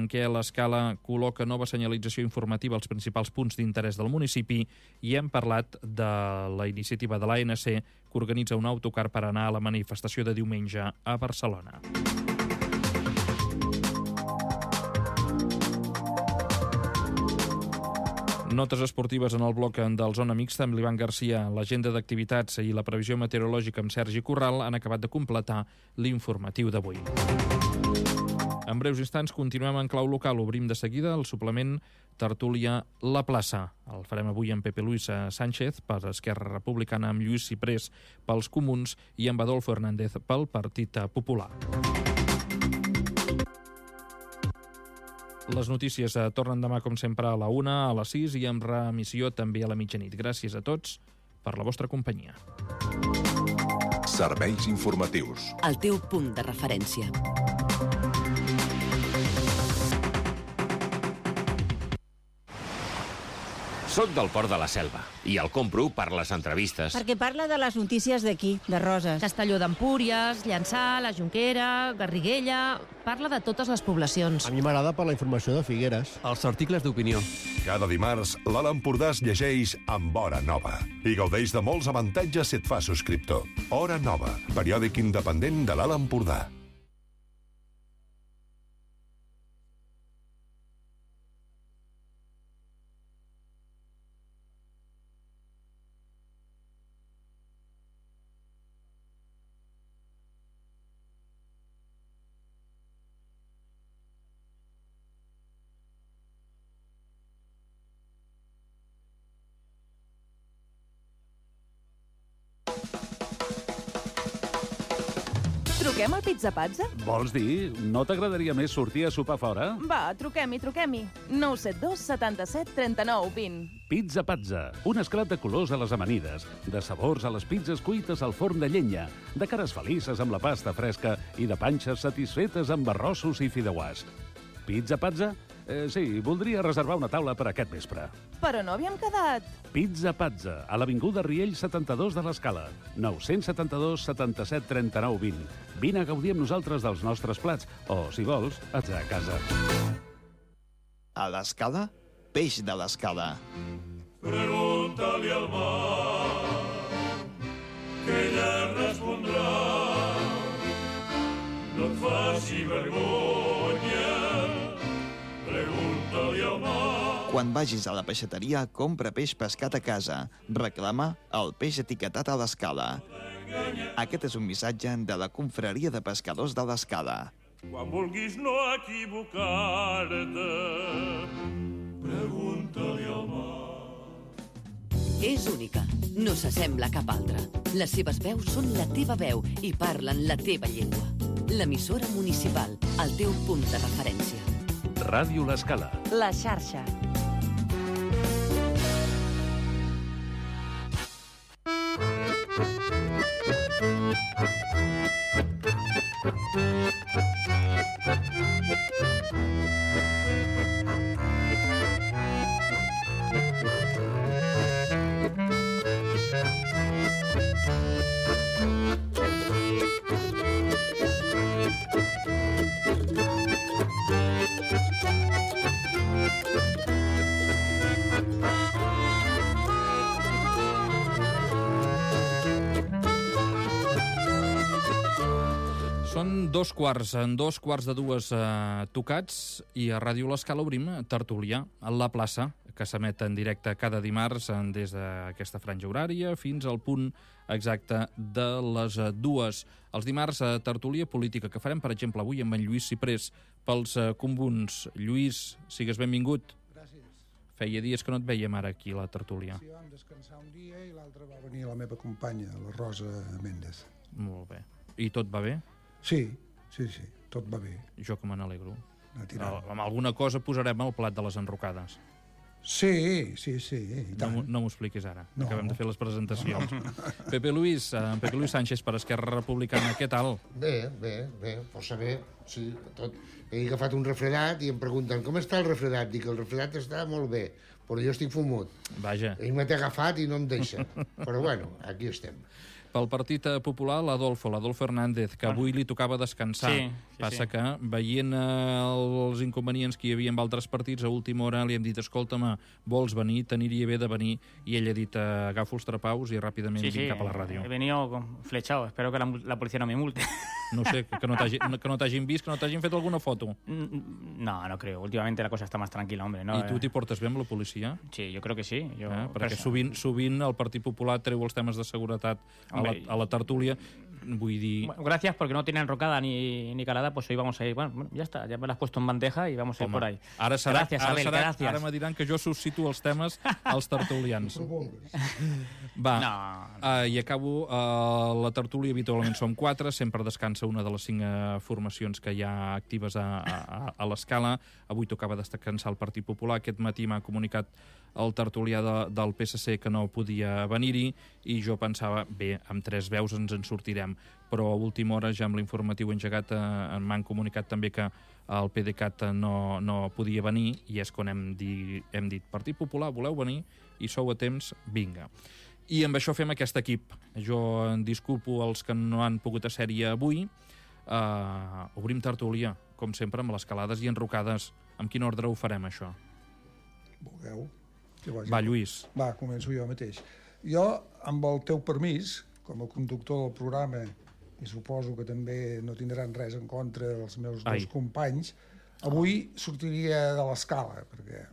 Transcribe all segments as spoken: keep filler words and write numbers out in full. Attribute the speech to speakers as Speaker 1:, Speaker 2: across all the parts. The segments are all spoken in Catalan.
Speaker 1: en què l'Escala col·loca nova senyalització informativa als principals punts d'interès del municipi, i hem parlat de la iniciativa de l'A N C que organitza un autocar per anar a la manifestació de diumenge a Barcelona. Notes esportives en el bloc del Zona Mixta amb l'Ivan Garcia. L'agenda d'activitats i la previsió meteorològica amb Sergi Corral han acabat de completar l'informatiu d'avui. En breus instants continuem en clau local. Obrim de seguida el suplement Tertúlia La Plaça. El farem avui amb Pepe Luis Sánchez per Esquerra Republicana, amb Lluís Ciprés pels Comuns i amb Adolfo Hernández pel Partit Popular. Les notícies tornen demà, com sempre, a la una, a les sis i amb reemissió també a la mitjanit. Gràcies a tots per la vostra companyia.
Speaker 2: Serveis informatius.
Speaker 3: El teu punt de referència.
Speaker 4: Soc del Port de la Selva i el compro per les entrevistes.
Speaker 5: Perquè parla de les notícies d'aquí, de Roses.
Speaker 6: Castelló d'Empúries, Llançà, la Jonquera, Garriguella... Parla de totes les poblacions.
Speaker 7: A mi m'agrada per la informació de Figueres.
Speaker 8: Els articles d'opinió.
Speaker 2: Cada dimarts, l'Alt Empordà es llegeix amb Hora Nova i gaudeix de molts avantatges si et fa subscriptor. Hora Nova, periòdic independent de l'Alt Empordà.
Speaker 9: Truquem al Pizza Pazza?
Speaker 10: Vols dir? No t'agradaria més sortir a sopar fora?
Speaker 9: Va, truquem-hi, truquem-hi. nou set dos setanta-set trenta-nou vint.
Speaker 10: Pizza Pazza, un esclat de colors a les amanides, de sabors a les pizzas cuites al forn de llenya, de cares felices amb la pasta fresca i de panxes satisfetes amb arrossos i fideuàs. Pizza Pazza? Eh, sí, voldria reservar una taula per aquest vespre.
Speaker 9: Però no havíem quedat.
Speaker 10: Pizza Pazza, a l'avinguda Riell setanta-dos de l'Escala. nou set dos setanta-set trenta-nou vint. Vine a gaudir amb nosaltres dels nostres plats, o, si vols, ets a casa.
Speaker 11: A l'Escala, peix de l'Escala.
Speaker 12: Pregunta-li al mar, que ella respondrà. No et faci vergonya, pregunta-li al mar.
Speaker 11: Quan vagis a la peixateria, compra peix pescat a casa. Reclama el peix etiquetat a l'Escala. Aquest és un missatge de la Confraria de Pescadors de l'Escala.
Speaker 12: Quan vulguis no equivocar-te, pregunta-li al mar.
Speaker 3: És única, no s'assembla a cap altra. Les seves veus són la teva veu i parlen la teva llengua. L'emissora municipal, el teu punt de referència.
Speaker 10: Ràdio L'Escala.
Speaker 9: La xarxa.
Speaker 1: Són dos quarts, en dos quarts de dues eh, tocats, i a Ràdio L'Escala obrim Tertúlia a la plaça, que s'emet en directe cada dimarts des d'aquesta franja horària fins al punt exacte de les dues. Els dimarts a Tertúlia política, que farem, per exemple, avui amb en Lluís Ciprés pels eh, Comuns. Lluís, sigues benvingut.
Speaker 13: Gràcies.
Speaker 1: Feia dies que no et veiem ara aquí a la tertúlia.
Speaker 13: Sí, vam descansar un dia i l'altre va venir la meva companya, la Rosa Méndez.
Speaker 1: Molt bé. I tot va bé?
Speaker 13: Sí, sí, sí, tot va bé.
Speaker 1: Jo que me n'alegro. Amb alguna cosa posarem al plat de les enrocades.
Speaker 13: Sí, sí, sí. I tant.
Speaker 1: No, no m'ho expliquis ara,
Speaker 13: no.
Speaker 1: Acabem de fer les presentacions.
Speaker 13: No.
Speaker 1: Pepe Luis, eh, Pepe Luis Sánchez per Esquerra Republicana, què tal?
Speaker 14: Bé, bé, bé, força bé, sí, tot. He agafat un refredat i em pregunten com està el refredat? Dic, el refredat està molt bé, però jo estic fumut.
Speaker 1: Vaja.
Speaker 14: Ell m'ha agafat i no em deixa, però bueno, aquí estem.
Speaker 1: Pel Partit Popular, l'Adolfo, l'Adolfo Hernández, que avui li tocava descansar.
Speaker 8: Sí, sí,
Speaker 1: Passa
Speaker 8: sí.
Speaker 1: que, veient els inconvenients que hi havia amb altres partits, a última hora li hem dit, escolta'm, vols venir? T'aniria bé de venir. I ell ha dit, agafo els trapaus i ràpidament
Speaker 8: Sí,
Speaker 1: vinc
Speaker 8: sí,
Speaker 1: cap a la ràdio.
Speaker 8: he venido flechado. Espero que la, la policía no me multe.
Speaker 1: No sé, que no t'hagi- que no t'hagin vist, que no t'hagin fet alguna foto.
Speaker 8: No, no creo. Últimamente la cosa está más tranquila, hombre. No,
Speaker 1: I tu t'hi portes bé amb la policia?
Speaker 8: Sí, yo creo que sí. Yo,
Speaker 1: Eh? Perquè
Speaker 8: perso-
Speaker 1: sovint, sovint el Partit Popular treu els temes de seguretat a la,
Speaker 8: Hombre,
Speaker 1: a la tertúlia. Vull dir...
Speaker 8: Bueno, gracias, porque no tiene enrocada ni, ni calada, pues hoy vamos a ir. Bueno, bueno, ya está, ya me la has puesto en bandeja y vamos a ir
Speaker 1: Home,
Speaker 8: por ahí.
Speaker 1: Ara serà,
Speaker 8: gracias,
Speaker 1: ara,
Speaker 8: Abel,
Speaker 1: serà,
Speaker 8: gracias.
Speaker 1: ara me diran que jo suscito els temes als tertulians. Va,
Speaker 8: No.
Speaker 1: uh, i acabo. Uh, la tertúlia habitualment som quatre, sempre descansa una de les cinc uh, formacions que hi ha actives a, a, a l'escala. Avui tocava descansar el Partit Popular. Aquest matí m'ha comunicat el tertulià de, del P S C que no podia venir-hi i jo pensava, bé, amb tres veus ens en sortirem, però a última hora ja amb l'informatiu engegat eh, m'han comunicat també que el PDeCAT no, no podia venir i és quan hem, di, hem dit Partit Popular, voleu venir? I sou a temps, vinga. I amb això fem aquest equip. Jo en disculpo els que no han pogut ser-hi avui. Uh, obrim tertúlia, com sempre, amb les calades i enrocades. Amb quin ordre ho farem, això?
Speaker 13: Vulgueu.
Speaker 1: Va, Lluís.
Speaker 13: Va, començo jo mateix. Jo, amb el teu permís, com a conductor del programa, i suposo que també no tindran res en contra dels meus
Speaker 1: Ai.
Speaker 13: dos companys, avui sortiria de l'escala, perquè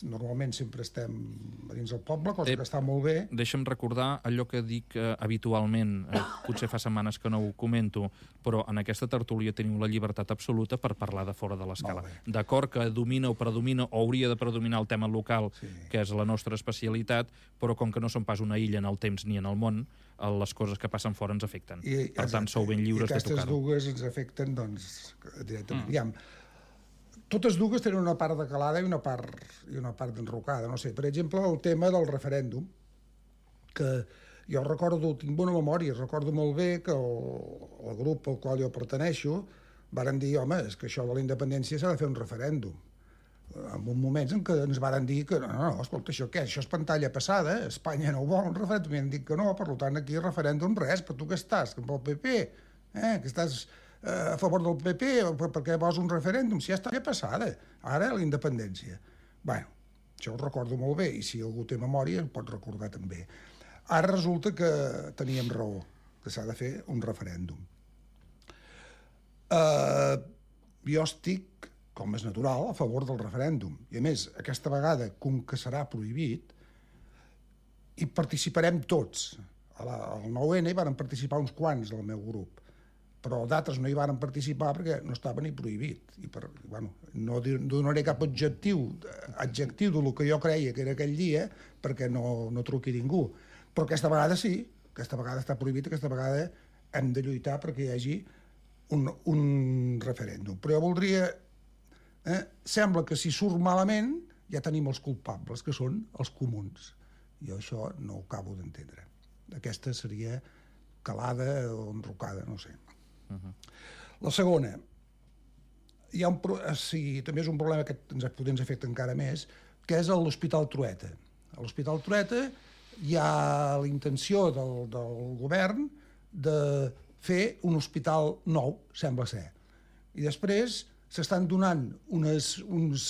Speaker 13: normalment sempre estem a dins del poble, cosa
Speaker 1: Eh,
Speaker 13: que està molt bé.
Speaker 1: Deixa'm recordar allò que dic eh, habitualment, eh, potser fa setmanes que no ho comento, però en aquesta tertúlia teniu la llibertat absoluta per parlar de fora de l'escala. D'acord que domina o predomina o hauria de predominar el tema local, sí. que és la nostra especialitat, però com que no som pas una illa en el temps ni en el món, eh, les coses que passen fora ens afecten.
Speaker 13: I,
Speaker 1: per tant, sou ben lliures
Speaker 13: I
Speaker 1: de
Speaker 13: aquestes
Speaker 1: tocar-ho.
Speaker 13: dues ens afecten, doncs, directament.
Speaker 1: Mm.
Speaker 13: Aviam, totes dues tenen una part de calada i una part, i una part d'enrocada. No sé, per exemple, el tema del referèndum, que jo recordo, tinc bona memòria, recordo molt bé que el, el grup al qual jo perteneixo varen dir, home, és que això de la independència s'ha de fer un referèndum. En un moments en què ens varen dir que no, no, no, escolta, això què? Això és pantalla passada, Espanya no ho vol un referèndum, i han dit que no, per tant, aquí referèndum res, però tu què estàs? Que amb el P P, eh? Que estàs a favor del P P, perquè vols un referèndum, si ja està ja passada, ara la independència. Bé, això ho recordo molt bé, i si algú té memòria el pot recordar també. Ara resulta que teníem raó, que s'ha de fer un referèndum. Uh, jo estic, com és natural, a favor del referèndum, i a més, aquesta vegada, com que serà prohibit, hi participarem tots. A la, al nou ene hi van participar uns quants del meu grup, però d'altres no hi van participar perquè no estava ni prohibit. I per, bueno, no donaré cap objectiu, adjectiu del que jo creia que era aquell dia, perquè no, no truqui ningú. Però aquesta vegada sí, aquesta vegada està prohibit, aquesta vegada hem de lluitar perquè hi hagi un, un referèndum. Però jo voldria... Eh, sembla que si surt malament ja tenim els culpables, que són els comuns. Jo això no ho acabo d'entendre. Aquesta seria calada o enrocada, no sé. Uh-huh. La segona, hi ha un, sí, també és un problema que ens, ens afecta encara més, que és l'Hospital Trueta. A l'Hospital Trueta hi ha la intenció del, del govern de fer un hospital nou, sembla ser. I després s'estan donant unes, uns,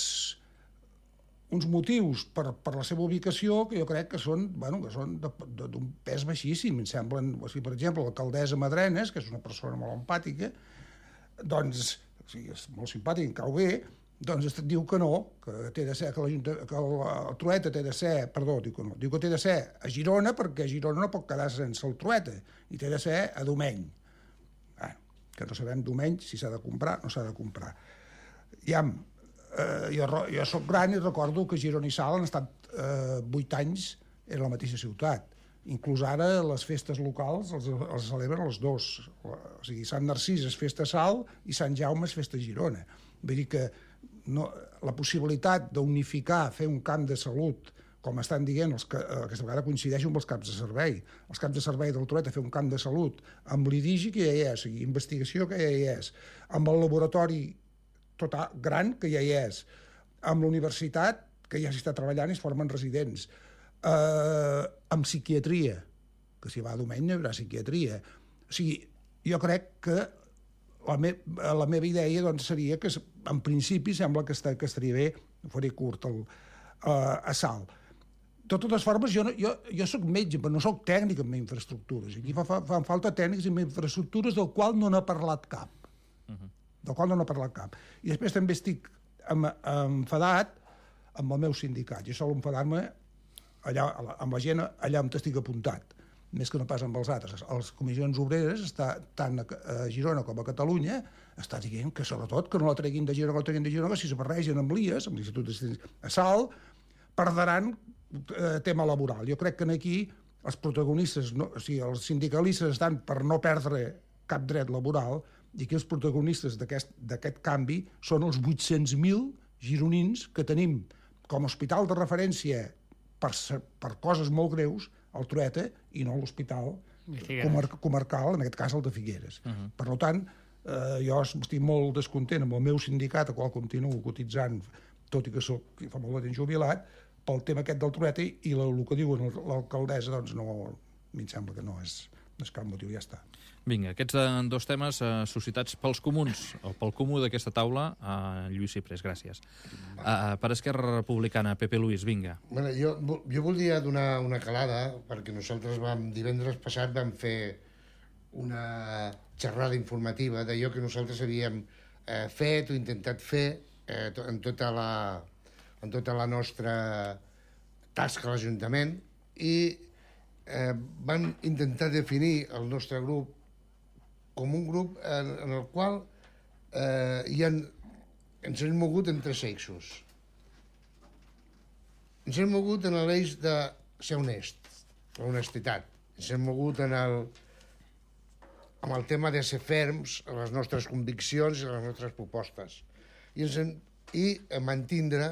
Speaker 13: uns motius per, per la seva ubicació que jo crec que són, bueno, que són d'un pes baixíssim. Em semblen, o sigui, per exemple, l'alcaldessa Madrenes, que és una persona molt empàtica, doncs, o sigui, és molt simpàtica, em cau bé, doncs diu que no, que té de ser, que, que el, el Trueta té de ser, perdó, diu que no, diu que té de ser a Girona, perquè Girona no pot quedar sense el Trueta, i té de ser a Domeny. Bueno, que no sabem Domeny si s'ha de comprar o no s'ha de comprar. Ja, eh, jo, jo soc gran i recordo que Girona i Salt han estat eh, vuit anys en la mateixa ciutat. Inclús ara les festes locals els, els celebren els dos. O sigui, Sant Narcís és festa a Salt i Sant Jaume és festa a Girona. Vull dir que no, la possibilitat d'unificar, fer un camp de salut, com estan dient, els que aquesta vegada coincideixo amb els caps de servei. Els caps de servei del Trueta, fer un camp de salut amb l'I D I G I que ja hi és, o sigui, investigació que ja hi és, amb el laboratori total, gran que ja hi és, amb la universitat que ja s'hi està treballant i es formen residents, eh, amb psiquiatria, que si va diumenge hi haurà psiquiatria. O sigui, jo crec que la, me la meva idea doncs, seria que, en principi, sembla que, està, que estaria bé, faré curt, el, uh, a Salt. De totes formes, jo, no, jo, jo soc metge, però no soc tècnic en infraestructures. Aquí fa, fa, fan falta tècnics en infraestructures del qual no n'ha parlat cap. Uh-huh. Del qual no n'ha parlat cap. I després també estic em, enfadat amb el meu sindicat. Jo sol enfadar-me allà, amb la gent allà on estic apuntat, més que no pas amb els altres. Les comissions obreres, està, tant a Girona com a Catalunya, està dient que, sobretot, que no la treguin de Girona, que la treguin de Girona, que si se barregen amb l'I E S, amb l'Institut a Salt, perdran eh, tema laboral. Jo crec que aquí els protagonistes, no, o sigui, els sindicalistes estan per no perdre cap dret laboral, i aquí els protagonistes d'aquest canvi són els vuit-cents mil gironins que tenim com a hospital de referència per, per coses molt greus, el Trueta, i no l'hospital comar comarcal, en aquest cas el de Figueres. Uh-huh. Per tant, eh, jo estic molt descontent amb el meu sindicat, al qual continuo cotitzant, tot i que soc fa molt de temps jubilat, pel tema aquest del Trueta, i el, el que diu l'alcaldessa, doncs no, a mi em sembla que no és, no és cap motiu, ja està.
Speaker 1: Vinga, aquests dos temes eh, suscitats pels comuns, o pel comú d'aquesta taula, eh, Lluís Ciprés, gràcies. Uh, per Esquerra Republicana, Pepe Luis, vinga.
Speaker 14: Bueno, jo, jo voldria donar una calada, perquè nosaltres vam, divendres passat vam fer una xerrada informativa d'allò que nosaltres havíem eh, fet o intentat fer eh, en, tota la, en tota la nostra tasca a l'Ajuntament, i eh, vam intentar definir el nostre grup com un grup en, en el qual eh, hi ha, ens hem mogut en tres eixos. Ens hem mogut en l'eix de ser honest, l'honestitat. Ens hem mogut en el, amb el tema de ser ferms en les nostres conviccions i les nostres propostes. I, ens hem, i mantindre,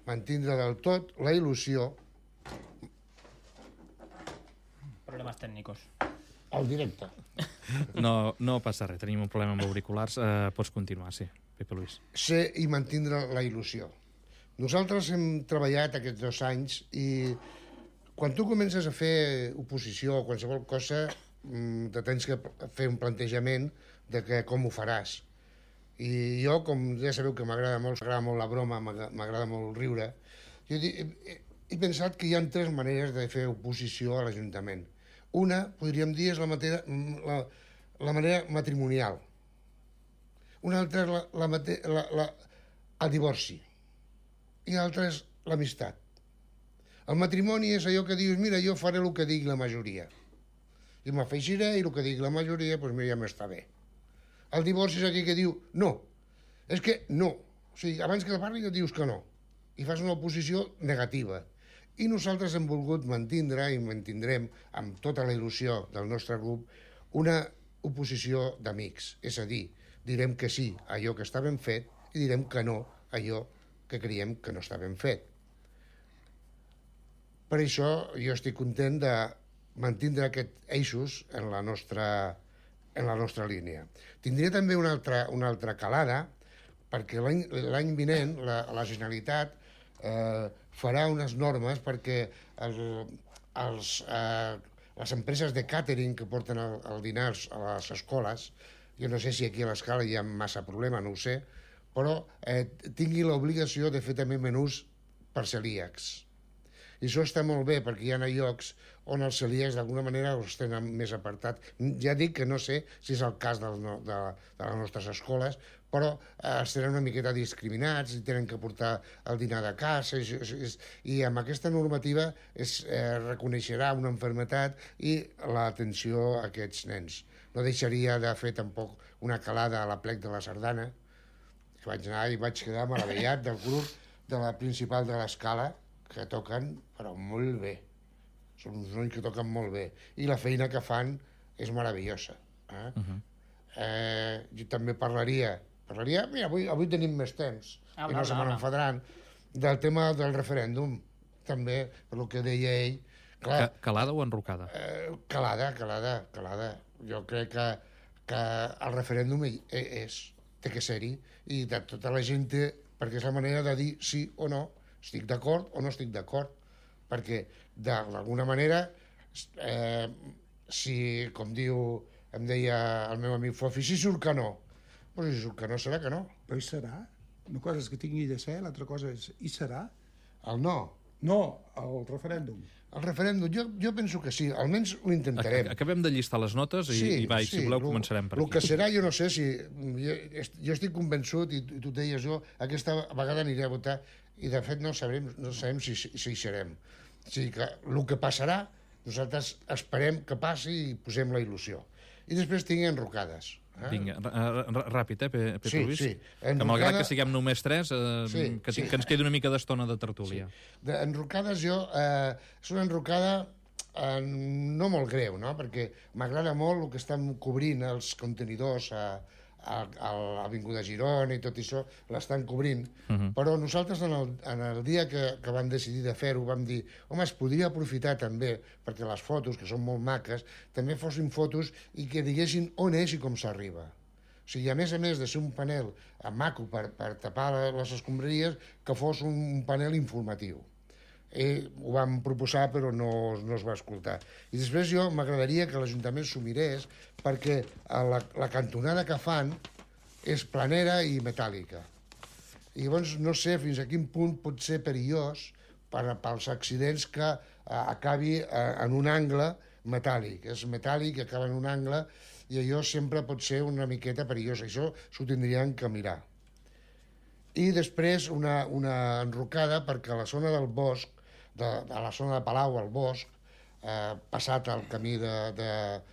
Speaker 14: mantindre del tot la il·lusió.
Speaker 8: Problemes tècnicos.
Speaker 14: Al directe.
Speaker 1: No, no passa res, tenim un problema amb auriculars. Eh, pots continuar, sí, Pepe Luis.
Speaker 14: Ser i mantindre la il·lusió. Nosaltres hem treballat aquests dos anys i quan tu comences a fer oposició o qualsevol cosa, te tens que fer un plantejament de que, com ho faràs. I jo, com ja sabeu que m'agrada molt, m'agrada molt la broma, m'agrada molt riure, jo he, he, he pensat que hi ha tres maneres de fer oposició a l'Ajuntament. Una, podríem dir, és la, matera, la, la manera matrimonial. Una altra és la, la, la, la, el divorci. I l'altra és l'amistat. El matrimoni és allò que dius, mira, jo faré el que digui la majoria. I m'afegiré i el que digui la majoria, doncs mira, ja m'està bé. El divorci és aquí que diu, no. És que no. O sigui, abans que parli dius que no. I fas una oposició negativa. I nosaltres hem volgut mantindre i mantindrem amb tota la il·lusió del nostre grup una oposició d'amics. És a dir, direm que sí a allò que està ben fet i direm que no a allò que creiem que no està ben fet. Per això jo estic content de mantindre aquests eixos en la nostra, en la nostra línia. Tindria també una altra, una altra calada, perquè l'any vinent la, la Generalitat eh, farà unes normes perquè el, els, eh, les empreses de càtering que porten el, el dinars a les escoles, jo no sé si aquí a l'Escala hi ha massa problema, no ho sé, però eh, tingui l'obligació de fer també menús per celíacs. I això està molt bé, perquè hi ha llocs on els celíacs d'alguna manera els tenen més apartat. Ja dic que no sé si és el cas del, de, de les nostres escoles, però eh, els tenen una miqueta discriminats i tenen que portar el dinar de casa, i, i, i amb aquesta normativa es eh, reconeixerà una malaltia i l'atenció a aquests nens. No deixaria de fer tampoc una calada a la plec de la Sardana, que vaig anar i vaig quedar meravellat del grup de la principal de l'Escala, que toquen, però molt bé. Són uns nois que toquen molt bé. I la feina que fan és meravellosa. Eh? Uh-huh. eh, jo també parlaria, parlaria, mira, avui, avui tenim més temps, ah, i no se me n'enfadaran, del tema del referèndum, també, per el que deia ell.
Speaker 1: Clar, calada o enrocada?
Speaker 14: Eh, calada, calada, calada. Jo crec que, que el referèndum és, té que ser-hi, i de tota la gent té, perquè és la manera de dir sí o no, estic d'acord o no estic d'acord, perquè d'alguna manera, eh, si, com diu, em deia el meu amic Fofi, si surt que no. Pues si surt que no, serà que no.
Speaker 13: Però hi serà? Una cosa és que tingui de ser, l'altra cosa és, hi serà?
Speaker 14: El no.
Speaker 13: No, el referèndum.
Speaker 14: El referèndum, jo, jo penso que sí, almenys ho intentarem.
Speaker 1: Acabem de llistar les notes i,
Speaker 14: sí,
Speaker 1: i va, i
Speaker 14: sí,
Speaker 1: si voleu
Speaker 14: lo,
Speaker 1: començarem per
Speaker 14: aquí. El que
Speaker 1: aquí.
Speaker 14: serà, jo no sé si... Jo, jo estic convençut, i tu, tu deies jo, aquesta vegada aniré a votar, i de fet no sabrem, no sabem si, si hi serem. O sigui que el que passarà, nosaltres esperem que passi i posem la il·lusió. I després tinc enrocades. Eh?
Speaker 1: Vinga, ràpid, eh, Pepe
Speaker 14: sí,
Speaker 1: Luis?
Speaker 14: Sí,
Speaker 1: enrocada... Que malgrat que siguem només tres, eh,
Speaker 14: sí,
Speaker 1: que,
Speaker 14: sí.
Speaker 1: que ens quedi una mica d'estona de tertúlia.
Speaker 14: Sí. De, enrocades jo... Eh, és una enrocada eh, no molt greu, no? Perquè m'agrada molt el que estan cobrint els contenidors a, a, a l'Avinguda Girona i tot això, l'estan cobrint. Uh-huh. Però nosaltres, en el, en el dia que, que vam decidir de fer-ho, vam dir, home, es podria aprofitar també, perquè les fotos, que són molt maques, també fossin fotos i que diguessin on és i com s'arriba. O sigui, a més a més de ser un panel maco per, per tapar les escombraries, que fos un panel informatiu. Eh, ho vam proposar, però no, no es va escoltar. I després jo m'agradaria que l'Ajuntament s'ho mirés, perquè la, la cantonada que fan és planera i metàl·lica. I llavors no sé fins a quin punt pot ser perillós per, pels accidents que eh, acabi eh, en un angle metàl·lic. És metàl·lic, acaba en un angle, i allò sempre pot ser una miqueta perillós. Això s'ho tindrien que mirar. I després una, una enrocada perquè a la zona del bosc, de, de la zona de Palau al bosc, eh, passat el camí de, de,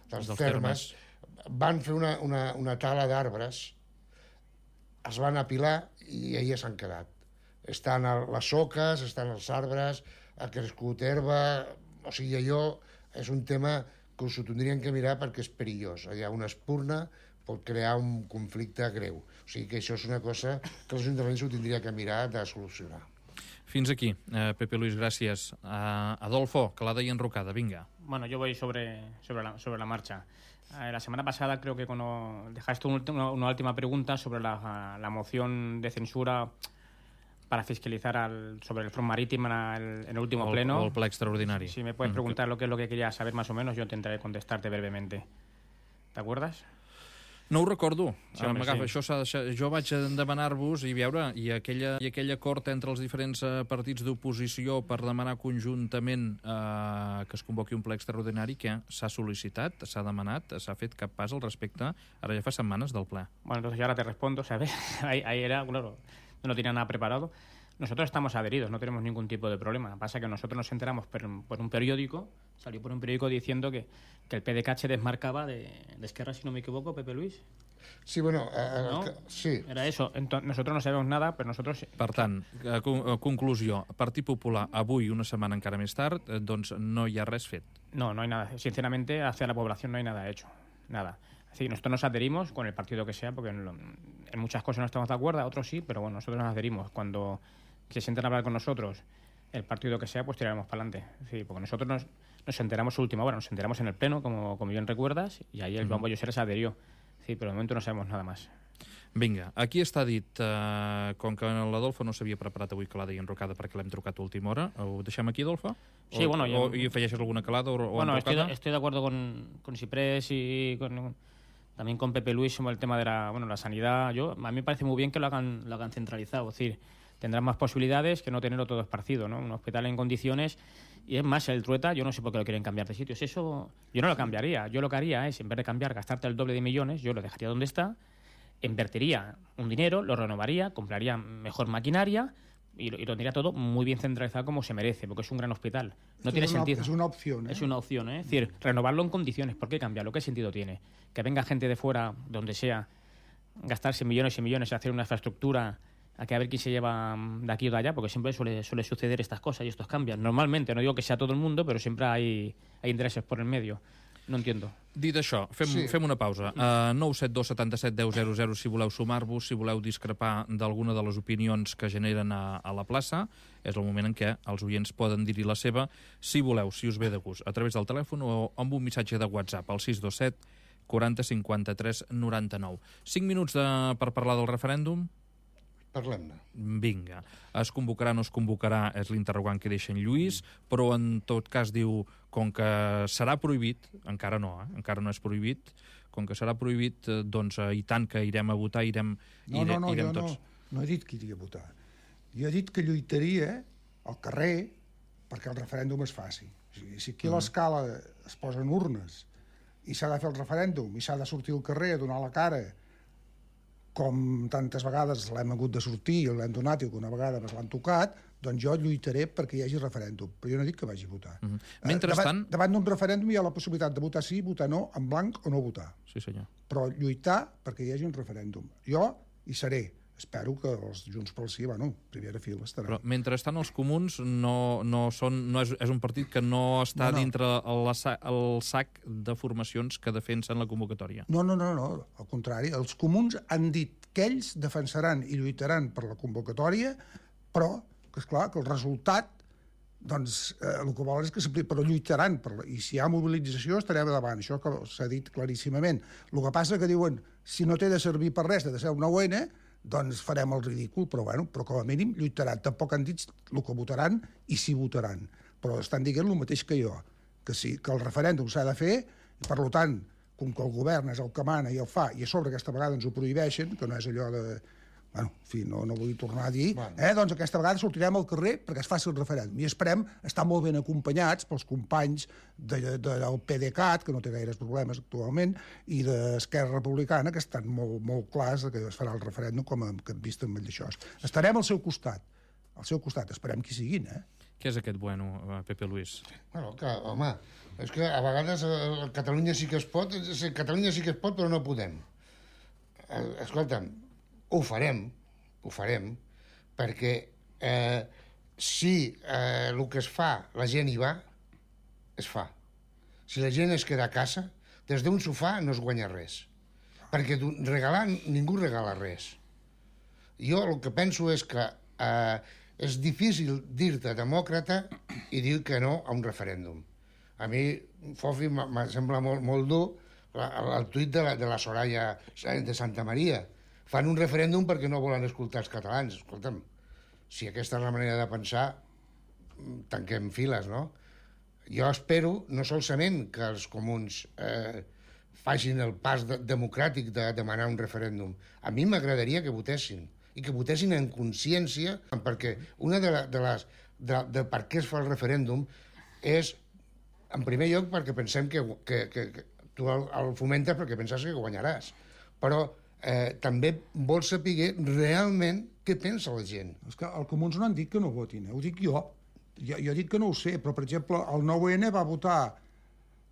Speaker 14: dels, dels termes, termes, van fer una, una, una tala d'arbres, es van apilar i allà s'han quedat. Estan les soques, estan els arbres, ha crescut herba, o sigui, allò és un tema que us ho tindrien que mirar perquè és perillós. Allà una espurna pot crear un conflicte greu. O sigui que això és una cosa que l'Ajuntament s'ho tindria que mirar de solucionar.
Speaker 1: Fins aquí, eh, Pepe Luis, gràcies. Uh, Adolfo, que l'ha d'ahir enrocada, vinga.
Speaker 8: Bueno, yo voy sobre, sobre, la, sobre la marcha. Eh, la semana pasada creo que cuando dejaste un, una, una última pregunta sobre la, la moción de censura para fiscalizar al, sobre el front marítimo en el, en el último
Speaker 1: el,
Speaker 8: pleno.
Speaker 1: El ple extraordinari.
Speaker 8: Si me puedes preguntar lo que es lo que quería saber más o menos, yo intentaré contestarte brevemente. ¿Te acuerdas?
Speaker 1: No ho recordo.
Speaker 8: Sí, home, sí.
Speaker 1: Això s'ha deixat... Jo vaig demanar-vos i veure, i, aquella, i aquell acord entre els diferents uh, partits d'oposició per demanar conjuntament uh, que es convoqui un ple extraordinari que s'ha sol·licitat, s'ha demanat, s'ha fet cap pas al respecte, ara ja fa setmanes del ple.
Speaker 8: Bueno, entonces yo ahora te respondo, ¿sabes? ahí, ahí era, claro, no tenía nada preparado. Nosotros estamos adheridos, no tenemos ningún tipo de problema. Pasa que nosotros nos enteramos por, por un periódico, salió por un periódico diciendo que, que el P D C A se desmarcaba de, de Esquerra, si no me equivoco, Pepe Luis.
Speaker 14: Sí, bueno, eh,
Speaker 8: ¿No?
Speaker 14: que, sí.
Speaker 8: Era eso. Entonces, nosotros no sabemos nada, però nosotros...
Speaker 1: Per tant, eh, conclusió, Partit Popular avui, una setmana encara més tard, eh, doncs no hi ha res fet.
Speaker 8: No, no hay nada. Sinceramente, hacia la población no hay nada hecho. Nada. Es decir, nosotros nos adherimos con el partido que sea, porque en, lo, en muchas cosas no estamos de acuerdo, otros sí, pero bueno, nosotros nos adherimos. Cuando se sienten a hablar con nosotros, el partido que sea, pues tiraremos para adelante. Sí, porque nosotros nos, nos enteramos a última hora, nos enteramos en el pleno, como, como bien recuerdas, y ahí el Bombo Llosera se adherió. Sí, però de moment no sabem nada més.
Speaker 1: Vinga, aquí està dit, eh, com que l'Adolfo no s'havia preparat avui calada i enrocada perquè l'hem trucat a última hora, ho deixem aquí, Adolfo?
Speaker 8: Sí,
Speaker 1: o,
Speaker 8: bueno...
Speaker 1: O, ¿Y afegeixes alguna calada o, o
Speaker 8: bueno,
Speaker 1: enrocada?
Speaker 8: Estoy, estoy de acuerdo con, con Ciprés y con, también con Pepe Luis sobre el tema de la, bueno, la sanidad. Yo, a mí me parece muy bien que lo hagan, lo hagan centralizado, es decir, tendrán más posibilidades que no tenerlo todo esparcido, ¿no? Un hospital en condiciones... Y es más, el Trueta, yo no sé por qué lo quieren cambiar de sitios. Eso yo no lo cambiaría. Yo lo que haría es, en vez de cambiar, gastarte el doble de millones, yo lo dejaría donde está, invertiría un dinero, lo renovaría, compraría mejor maquinaria y lo, y lo tendría todo muy bien centralizado como se merece, porque es un gran hospital. No tiene
Speaker 13: es una,
Speaker 8: sentido.
Speaker 13: Es una opción, ¿eh?
Speaker 8: Es una opción, ¿eh? Es decir, renovarlo en condiciones. ¿Por qué cambiarlo? ¿Qué sentido tiene? Que venga gente de fuera, donde sea, gastarse millones y millones en hacer una infraestructura... a que a ver quién se lleva de aquí o de allá, porque siempre suele, suele suceder estas cosas y estos cambios. Normalmente, no digo que sea todo el mundo, pero siempre hay, hay intereses por el medio. No entiendo.
Speaker 1: Dit això, fem, sí. fem una pausa. Uh, nou set dos setanta set deu zero zero si voleu sumar-vos, si voleu discrepar d'alguna de les opinions que generen a, a la plaça. És el moment en què els oients poden dir-hi la seva, si voleu, si us ve de gust, a través del telèfon o amb un missatge de WhatsApp, al sis dos set quaranta cinquanta-tres noranta-nou. Cinc minuts de, per parlar del referèndum.
Speaker 14: Parlem-ne.
Speaker 1: Vinga. Es convocarà o no es convocarà és l'interrogant que deixa en Lluís, però en tot cas diu, com que serà prohibit, encara no, eh? encara no és prohibit, com que serà prohibit, doncs i tant que irem a votar, irem,
Speaker 13: no,
Speaker 1: irem,
Speaker 13: no, no,
Speaker 1: irem
Speaker 13: jo
Speaker 1: tots.
Speaker 13: No, no he dit que iria a votar. Jo he dit que lluitaria al carrer perquè el referèndum es faci. O sigui, si aquí a l'escala es posen urnes i s'ha de fer el referèndum i s'ha de sortir al carrer a donar la cara, com tantes vegades l'hem hagut de sortir i l'hem donat i alguna vegada ens l'han tocat, doncs jo lluitaré perquè hi hagi referèndum. Però jo no dic que vagi a votar.
Speaker 1: Uh -huh. Mentrestant...
Speaker 13: Davant, davant d'un referèndum hi ha la possibilitat de votar sí, votar no, en blanc o no votar.
Speaker 1: Sí, senyor.
Speaker 13: Però lluitar perquè hi hagi un referèndum. Jo hi seré. Espero que els Junts pel Sí, bueno, primera fila estaran.
Speaker 1: Però mentrestant els comuns no, no són, no és, és un partit que no està no, no. dintre el, el sac de formacions que defensen la convocatòria.
Speaker 13: No, no, no, no, al contrari. Els comuns han dit que ells defensaran i lluitaran per la convocatòria, però, que és clar, que el resultat, doncs, eh, el que volen és que s'apliqui, però lluitaran, per la, i si hi ha mobilització estarem davant, això que s'ha dit claríssimament. El que passa que diuen, si no té de servir per res, de ser un nou ene, doncs farem el ridícul, però, bueno, però com a mínim lluitaran. Tampoc han dit el que votaran i si votaran. Però estan dient el mateix que jo, que sí, que el referèndum s'ha de fer, i per tant, com que el govern és el que mana i el fa, i a sobre aquesta vegada ens ho prohibeixen, que no és allò de... Bueno, en fi, no, no vull tornar a dir, bueno. eh, doncs aquesta vegada sortirem al carrer perquè es faci el referèndum. I esperem estar molt ben acompanyats pels companys de, de, del P D cat, que no té gaires problemes actualment, i d'Esquerra Republicana, que estan molt, molt clars que es farà el referèndum com a, que hem vist amb això. Estarem al seu costat, al seu costat, esperem que hi siguin, eh?
Speaker 1: Què és aquest bueno, Pepe Luis?
Speaker 14: Bueno, que, home, és que a vegades a Catalunya sí que es pot, Catalunya sí que es pot, però no podem. Escolta'm, ho farem, ho farem, perquè eh, si eh, el que es fa, la gent hi va, es fa. Si la gent es queda a casa, des d'un sofà no es guanya res. Perquè regalar, ningú regala res. Jo el que penso és que eh, és difícil dir-te demòcrata i dir que no a un referèndum. A mi, Fofi, em sembla molt, molt dur el tuit de la, de la Soraya de Santa Maria. Fan un referèndum perquè no volen escoltar els catalans. Escolta'm, si aquesta és la manera de pensar, tanquem files, no? Jo espero, no solament que els comuns eh, facin el pas de, democràtic de demanar un referèndum. A mi m'agradaria que votessin, i que votessin en consciència, perquè una de, la, de les... De, de per què es fa el referèndum és, en primer lloc, perquè pensem que, que, que, que tu el, el fomentes perquè penses que guanyaràs. Però Eh, també vol saber realment què pensa la gent.
Speaker 13: És que els comuns no han dit que no votin, eh? Ho dic jo. jo. Jo dic que no ho sé, però, per exemple, el nou ene va votar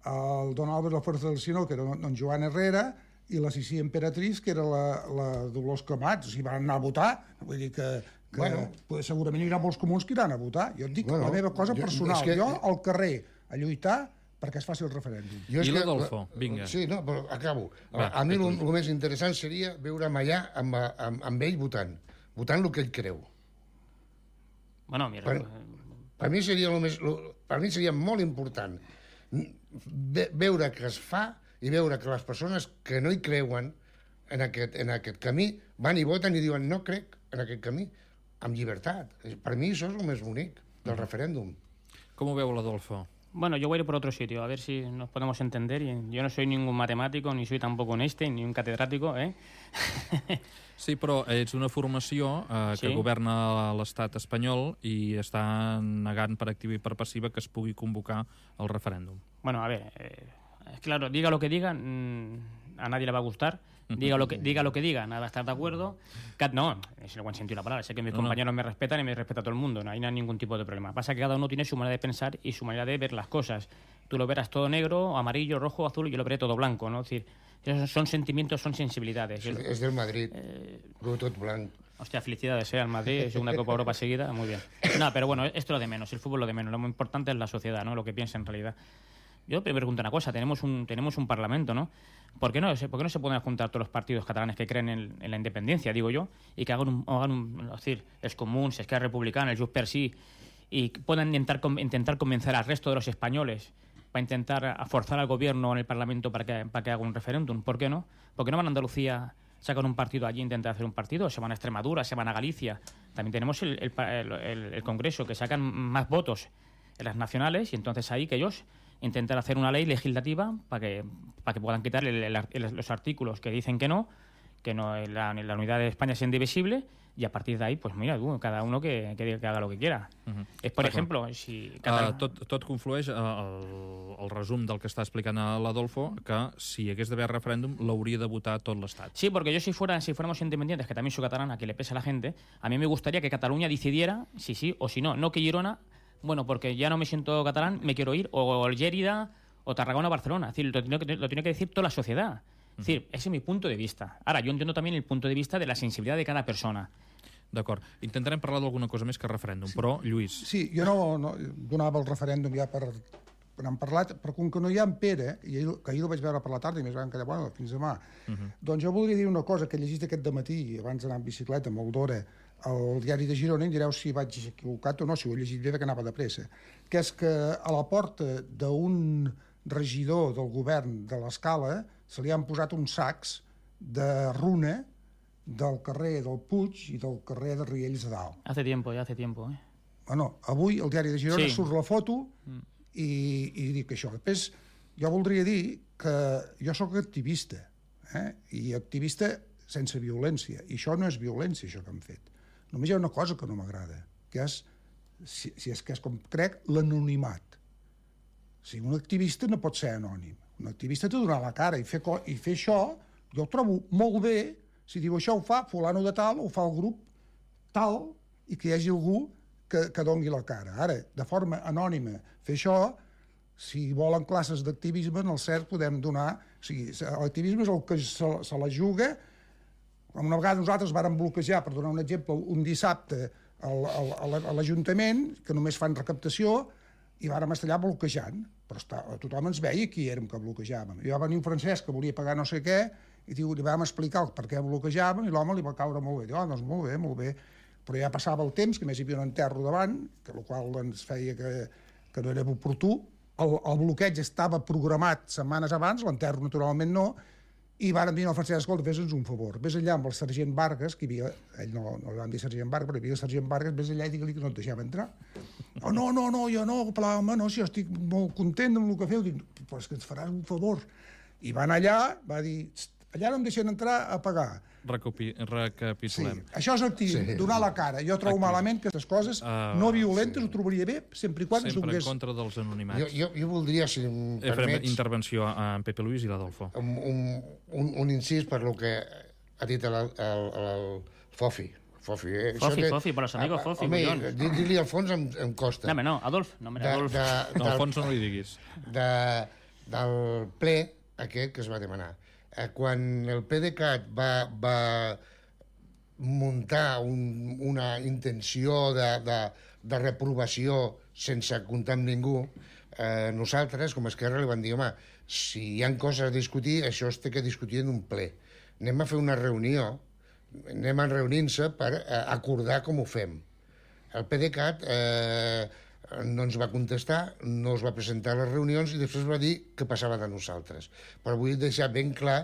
Speaker 13: el Don Álvaro Fuerza del Sinó, que era don Joan Herrera, i la Sissi Emperatriz, que era la, la Dolors Camats. O sigui, van anar a votar. Vull dir que, que bueno, segurament hi haurà molts comuns que iran a votar. Jo et dic bueno, la meva cosa personal. Jo, que... jo al carrer a lluitar perquè es faci el referèndum.
Speaker 1: I l'Adolfo, vinga.
Speaker 14: Sí, no, però acabo. Va, a mi el més interessant seria veure'm allà amb, amb, amb ell votant, votant el que ell creu.
Speaker 8: Bueno, mira...
Speaker 14: Per, per, mi seria lo més, lo, per mi seria molt important ve, veure que es fa i veure que les persones que no hi creuen en aquest, en aquest camí van i voten i diuen no crec en aquest camí, amb llibertat. Per mi això és el més bonic del referèndum.
Speaker 1: Com ho veu l'Adolfo?
Speaker 8: Bueno, yo voy a ir por otro sitio, a ver si nos podemos entender. Yo no soy ningún matemático, ni soy tampoco un Einstein, ni un catedrático, ¿eh?
Speaker 1: Sí, però ets una formació eh, que sí? governa l'estat espanyol i està negant per activa i per passiva que es pugui convocar el referèndum.
Speaker 8: Bueno, a ver, eh, claro, diga lo que diga, mmm, a nadie le va a gustar. Diga lo que diga, lo que diga, nada va a estar de acuerdo. No, es el buen sentido de la palabra. Sé que mis no, compañeros no. me respetan y me respeta todo el mundo. No hay ningún tipo de problema. Pasa que cada uno tiene su manera de pensar y su manera de ver las cosas. Tú lo verás todo negro, amarillo, rojo, azul, y yo lo veré todo blanco, ¿no? Es decir, esos son sentimientos, son sensibilidades.
Speaker 14: Es, es del Madrid, eh, todo blanco.
Speaker 8: Hostia, felicidades, ¿eh? Al Madrid, segunda Copa Europa seguida, muy bien. No, pero bueno, esto es lo de menos, el fútbol lo de menos. Lo muy importante es la sociedad, ¿no? Lo que piensa en realidad. Yo me pregunto una cosa, tenemos un, tenemos un parlamento, ¿no? ¿Por qué no, ¿Por qué no se pueden juntar todos los partidos catalanes que creen en, en la independencia, digo yo, y que hagan un, hagan un es decir, els Comuns, Esquerra Republicana, el Junts per Sí, y puedan intentar, intentar convencer al resto de los españoles para intentar forzar al gobierno en el parlamento para que, para que haga un referéndum? ¿Por qué no? ¿Por qué no van a Andalucía sacan un partido allí, intentan hacer un partido, se van a Extremadura, se van a Galicia. También tenemos el, el, el, el Congreso, que sacan más votos en las nacionales, y entonces ahí que ellos intentan hacer una ley legislativa para que, para que puedan quitar el, el, el, los artículos que dicen que no, que no la, la unidad de España sea indivisible, y a partir de ahí, pues mira, uh, cada uno que, que, que haga lo que quiera. Uh-huh. És, per exemple, si...
Speaker 1: Català... Uh, tot, tot conflueix uh, el, el resum del que està explicant l'Adolfo, que si hi hagués d'haver referèndum l'hauria de votar tot l'Estat.
Speaker 8: Sí, porque yo si fuera si fuéramos independientes, que también soy catalana, que le pesa a la gente, a mí me gustaría que Cataluña decidiera si sí o si no. No que Girona, bueno, porque ya no me siento catalán, me quiero ir, o Lérida, o Tarragona, Barcelona. Es decir, lo tiene que, lo tiene que decir toda la sociedad. Es decir, ese es mi punto de vista. Ara, jo entiendo también el punto de vista de la sensibilitat de cada persona.
Speaker 1: D'acord. Intentarem parlar d'alguna cosa més que referèndum, sí. Però, Lluís...
Speaker 13: Sí, jo no, no donava el referèndum ja per... n'hem parlat, però com que no hi ha en Pere, i ahir, que ahir el vaig veure per la tarda i més van quedar, bueno, fins demà, uh-huh. Doncs jo voldria dir una cosa que he llegit aquest dematí, abans d'anar en bicicleta, molt d'hora, al diari de Girona, i direu si vaig equivocat o no, si ho he llegit bé, que anava de pressa, que és que a la porta d'un regidor del govern de l'Escala se li han posat uns sacs de runa del carrer del Puig i del carrer de Riells de Dalt.
Speaker 8: Hace tiempo, ja hace tiempo, eh?
Speaker 13: Bueno, avui el diari de Girona sí. Surt la foto mm. i, i dic això. Després, jo voldria dir que jo sóc activista, eh? I activista sense violència. I això no és violència, això que han fet. Només hi ha una cosa que no m'agrada, que és, si, si és que és com crec, l'anonimat. O sigui, un activista no pot ser anònim. Un activista té de donar la cara i fer, i fer això, jo ho trobo molt bé. Si diu això ho fa fulano de tal, ho fa el grup tal, i que hi hagi algú que, que doni la cara. Ara, de forma anònima, fer això, si volen classes d'activisme, en el cert podem donar... O sigui, l'activisme és el que se, se la juga. Una vegada nosaltres vàrem bloquejar, per donar un exemple, un dissabte a l'Ajuntament, que només fan recaptació, i vàrem estar allà bloquejant. Però està, tothom ens veia qui érem que bloquejàvem. I va venir un francès que volia pagar no sé què, i diu, li vam explicar per què bloquejàvem, i l'home li va caure molt bé. Diu, oh, doncs molt bé, molt bé. Però ja passava el temps, que més hi havia un enterro davant, que el qual ens feia que, que no era oportú. El, el bloqueig estava programat setmanes abans, l'enterro naturalment no, i varen dir al francès, escolta, fes-nos un favor, vés allà amb el sergent Vargas, que hi havia, ell no, no li van dir sergent Vargas, però hi havia el sergent Vargas, vés allà i digue-li que no et deixava entrar. Oh, no, no, no, jo no, pla, home, no, si jo estic molt content amb el que feu. Dic, però és que ens faràs un favor. I van allà, va dir, allà no em deixen entrar a pagar.
Speaker 1: Recapi recapitulem.
Speaker 13: Sí, això és activisme, sí. Donar la cara. Jo trobo Activisme. malament que aquestes coses uh, no violentes sí. Ho trobaria bé, sempre i quan
Speaker 1: sempre
Speaker 13: donés...
Speaker 1: en contra dels anonimats.
Speaker 14: Jo, jo, jo voldria, si em
Speaker 1: eh, permets... Intervenció a en Pepe Luis i l'Adolfo.
Speaker 14: Un, un, un, un incís per lo que ha dit el, el, el Fofi. Fofi, eh?
Speaker 8: Fofi, que... Fofi, per los amigos Fofi.
Speaker 14: Home, dir-li Alfons em, em costa.
Speaker 8: No, no, Adolf. No, de, Adolf.
Speaker 14: De, de,
Speaker 1: no, Alfons no li diguis.
Speaker 14: De, del ple aquest que es va demanar. Quan el PDeCAT va, va muntar un, una intenció de, de, de reprovació sense comptar amb ningú, eh, nosaltres, com a Esquerra, li vam dir, home, si hi ha coses a discutir, això es té que discutir en un ple. Anem a fer una reunió, anem a reunir-se per eh, acordar com ho fem. El PDeCAT eh, no ens va contestar, no es va presentar a les reunions i després va dir que passava de nosaltres. Però vull deixar ben clar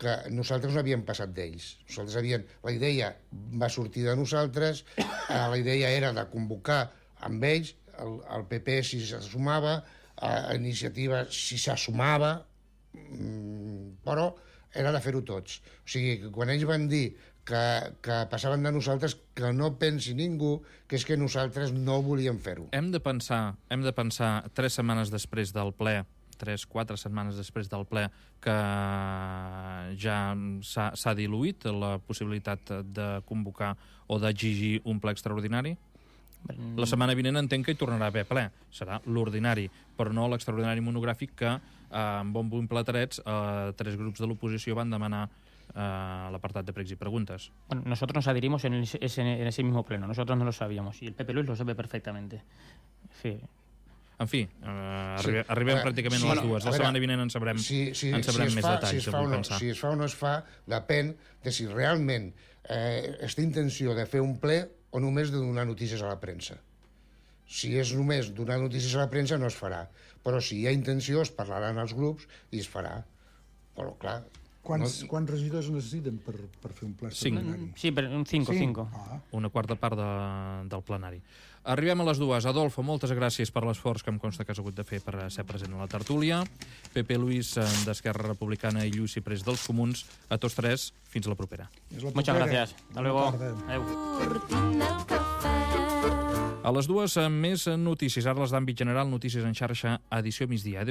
Speaker 14: que nosaltres no havíem passat d'ells. Nosaltres havíem... La idea va sortir de nosaltres, eh, la idea era de convocar amb ells, el, el P P si s'assumava, a Iniciativa si s'assumava, mmm, però era de fer-ho tots. O sigui, que quan ells van dir que, que passaven de nosaltres, que no pensi ningú que és que nosaltres no volíem fer-ho.
Speaker 1: Hem de pensar, hem de pensar tres setmanes després del ple, tres, quatre setmanes després del ple, que ja s'ha diluït la possibilitat de convocar o d'exigir un ple extraordinari? La setmana vinent entenc que hi tornarà a haver ple. Serà l'ordinari, però no l'extraordinari monogràfic que, eh, amb bombo i platerets, eh, tres grups de l'oposició van demanar eh, l'apartat de pregs i preguntes.
Speaker 8: Bueno, nosotros nos adherimos en, el, en ese mismo pleno. Nosotros no lo sabíamos. Y el Pepe Luis lo sabe perfectamente. Sí.
Speaker 1: En fi, eh, arribem, sí. arribem pràcticament sí, a les dues. La setmana vinent en sabrem,
Speaker 14: si, si,
Speaker 1: en sabrem
Speaker 14: si
Speaker 1: més
Speaker 14: fa,
Speaker 1: detalls.
Speaker 14: Si es, fa o no, si es fa o no es fa, depèn de si realment eh, és intenció de fer un ple o només de donar notícies a la premsa. Si és només donar notícies a la premsa, no es farà. Però si hi ha intenció, es parlaran als grups i es farà. Però, clar,
Speaker 13: Quants, no... quants regidors necessiten per, per fer un ple extraordinari?
Speaker 8: Sí, per un cinco, cinco.
Speaker 13: Ah.
Speaker 1: Una quarta part de, del plenari. Arribem a les dues. Adolfo, moltes gràcies per l'esforç que em consta que has hagut de fer per ser present a la tertúlia. Pepe Luis, d'Esquerra Republicana, i Lluís Ciprés, dels Comuns. A tots tres, fins la propera.
Speaker 8: Muchas gracias. Hasta luego. Adéu.
Speaker 1: A les dues, més notícies. Ara les d'àmbit general, notícies en xarxa, edició migdia. Adéu.